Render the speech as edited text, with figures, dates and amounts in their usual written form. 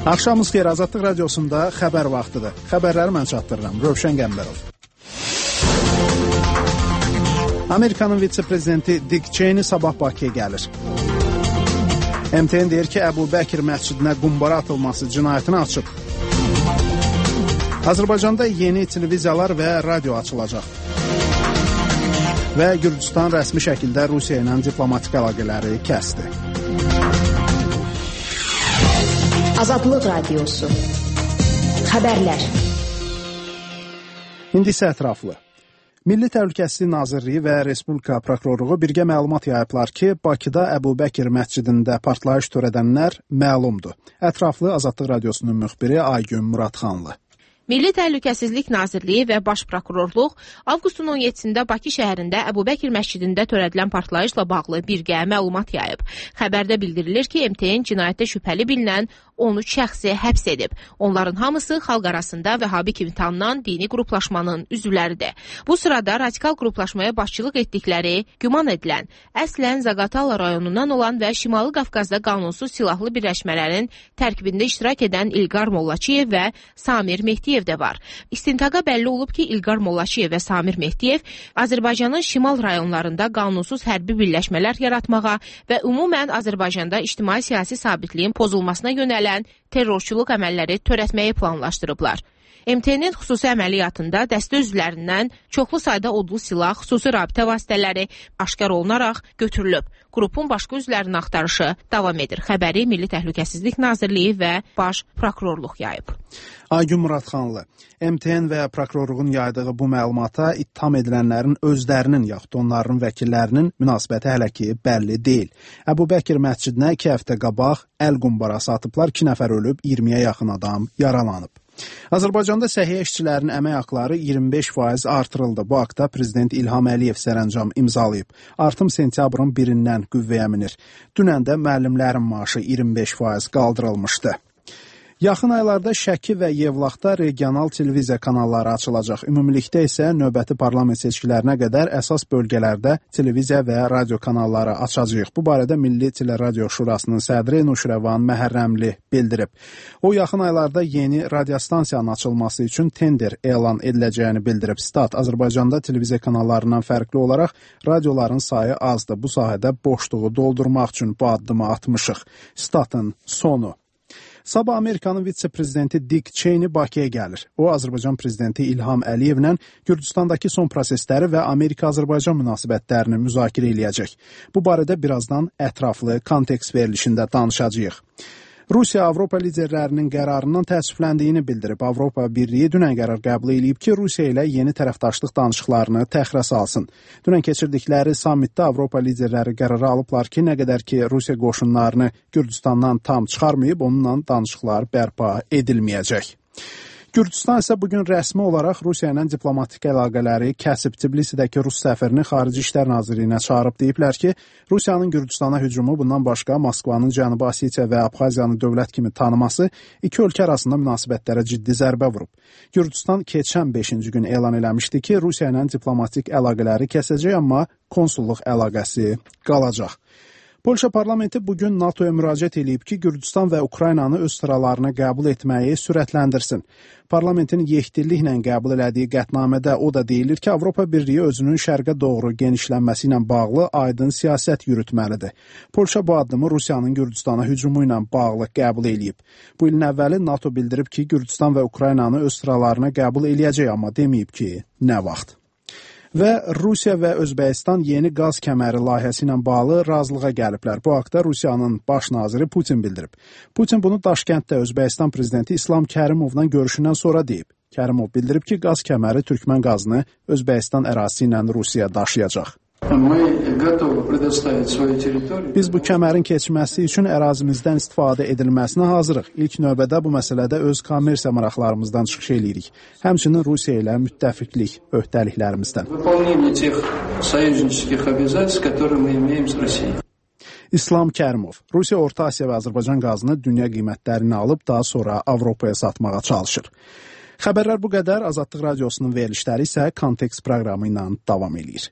Axşamınız xeyir, Azadlıq Radiosunda xəbər vaxtıdır. Xəbərləri mən çatdırıram, Rövşən Qəmbərov. Amerikanın vitse-prezidenti Dick Cheney sabah Bakıya gəlir. MTN deyir ki, Əbu Bəkir məscidinə qumbara atılması cinayətini açıb. Azərbaycanda yeni televiziyalar və radio açılacaq. Və Gürcüstan rəsmi şəkildə Rusiya ilə diplomatik əlaqələri kəsdi. Azadlıq Radiosu. Xəbərlər. İndi isə ətraflı. Milli Təhlükəsizlik Nazirliyi və Respublika Prokurorluğu birgə məlumat yayıblar ki, Bakıda Əbu Bəkir məscidində partlayış törədənlər məlumdur. Ətraflı Azadlıq Radiosunun müxbiri Aygün Muradxanlı. Milli Təhlükəsizlik Nazirliyi və Baş Prokurorluq avqustun 17-də Bakı şəhərində Əbu Bəkir məscidində törədilən partlayışla bağlı birgə məlumat yayıb. Xəbərdə bildirilir ki, MTN cinayətdə şübhəli bilinən 13 şəxsi həbs edib. Onların hamısı xalq arasında Vəhabi kimi tanınan dini qruplaşmanın üzvləridir. Bu sırada radikal qruplaşmaya başçılıq etdikləri güman edilən, əslən Zaqatala rayonundan olan və Şimali Qafqazda qanunsuz silahlı birləşmələrin tərkibində iştirak edən İlqar Mollaçiyev və Samir Mehdiyev də var. İstintaqa bəlli olub ki, İlqar Mollaçiyev və Samir Mehdiyev Azərbaycanın şimal rayonlarında qanunsuz hərbi birləşmələr yaratmağa və ümumən Azərbaycanda ictimai-siyasi sabitliyin pozulmasına yönələn terrorçuluq əməlləri törətməyi planlaşdırıblar. MTN-in xüsusi əməliyyatında dəstə üzvlərindən çoxlu sayda odlu silah, xüsusi rabitə vasitələri aşkar olunaraq götürülüb. Qrupun başqa üzvlərinin axtarışı davam edir. Xəbəri Milli Təhlükəsizlik Nazirliyi və Baş Prokurorluq yayıb. Aygün Muradxanlı. MTN və prokurorluğun yaydığı bu məlumata ittiham edilənlərin özlərinin yaxud onların vəkillərinin münasibəti hələ ki bəlli deyil. Əbu Bəkir məscidinə 2 həftə qabaq əl qumbarası atıblar, 2 nəfər ölüb, 20-yə yaxın adam yaralanıb. Azərbaycanda səhiyyə işçilərinin əmək haqları 25% artırıldı. Bu haqda Prezident İlham Əliyev sərəncam imzalayıb. Artım sentyabrın 1-dən qüvvəyə minir. Dünən də müəllimlərin maaşı 25% qaldırılmışdı. Yaxın aylarda Şəki və Yevlaxda regional televiziya kanalları açılacaq. Ümumilikdə isə növbəti parlament seçkilərinə qədər əsas bölgələrdə televiziya və radio kanalları açacağıq. Bu barədə Milli Teleradio Şurasının sədri Nuşrəvan Məhərrəmli bildirib. O, yaxın aylarda yeni radiostansiyanın açılması üçün tender elan ediləcəyini bildirib. Stat, Azərbaycanda televiziya kanallarından fərqli olaraq radioların sayı azdır. Bu sahədə boşluğu doldurmaq üçün bu addımı atmışıq. Statın sonu. Sabah Amerikanın vitse-prezidenti Dick Cheney Bakıya gəlir. O, Azərbaycan prezidenti İlham Əliyevlə Gürcüstandakı son prosesləri və Amerika-Azərbaycan münasibətlərini müzakirə eləyəcək. Bu barədə birazdan ətraflı kontekst verilişində danışacağıq. Rusiya Avropa liderlərinin qərarından təəssüfləndiyini bildirib. Avropa Birliyi dünən qərar qəbul edib ki, Rusiya ilə yeni tərəfdaşlıq danışıqlarını təxirə salsın. Dünən keçirdikləri sammitdə Avropa liderləri qərarı alıblar ki, nə qədər ki, Rusiya qoşunlarını Gürcüstandan tam çıxarmayıb, onunla danışıqlar bərpa edilməyəcək. Gürcüstan isə bugün rəsmi olaraq Rusiya ilə diplomatik əlaqələri kəsib. Tbilisidəki Rus səfirini Xarici İşlər Nazirliyinə çağırıb deyiblər ki, Rusiyanın Gürcüstana hücumu bundan başqa Moskvanın Cənubi Osetiya və Abxaziyanı dövlət kimi tanıması iki ölkə arasında münasibətlərə ciddi zərbə vurub. Gürcüstan keçən 5-ci gün elan eləmişdi ki, Rusiya ilə diplomatik əlaqələri kəsəcək, amma konsulluq əlaqəsi qalacaq. Polşa parlamenti bugün NATOya müraciət edib ki, Gürcüstan və Ukraynanı öz sıralarına qəbul etməyi sürətləndirsin. Parlamentin yekdilliklə qəbul elədiyi qətnamədə o da deyilir ki, Avropa Birliyi özünün şərqə doğru genişlənməsi ilə bağlı aydın siyasət yürütməlidir. Polşa bu addımı Rusiyanın Gürcüstana hücumu ilə bağlı qəbul edib. Bu ilin əvvəli NATO bildirib ki, Gürcüstan və Ukraynanı öz sıralarına qəbul eləyəcək, amma deməyib ki, nə vaxt. Və Rusiya və Özbəkistan yeni qaz kəməri layihəsi ilə bağlı razılığa gəliblər. Bu haqda Rusiyanın baş naziri Putin bildirib. Putin bunu Daşkənddə Özbəkistan prezidenti İslam Kərimovla görüşündən sonra deyib. Kərimov bildirib ki, qaz kəməri Türkmən qazını Özbəkistan ərazisi ilə Rusiyaya daşıyacaq. Biz bu kəmərin keçməsi üçün ərazimizdən istifadə edilməsinə hazırıq. İlk növbədə bu məsələdə öz kommersiya maraqlarımızdan çıxış eləyirik. Həmçinin Rusiya ilə müttəfiqlik öhdəliklərimizdən. İslam Kərimov, Rusiya Orta Asiya və Azərbaycan qazını dünya qiymətlərini alıb daha sonra Avropaya satmağa çalışır. Xəbərlər bu qədər. Azadlıq Radiosunun verilişləri isə kontekst proqramı ilə davam edir.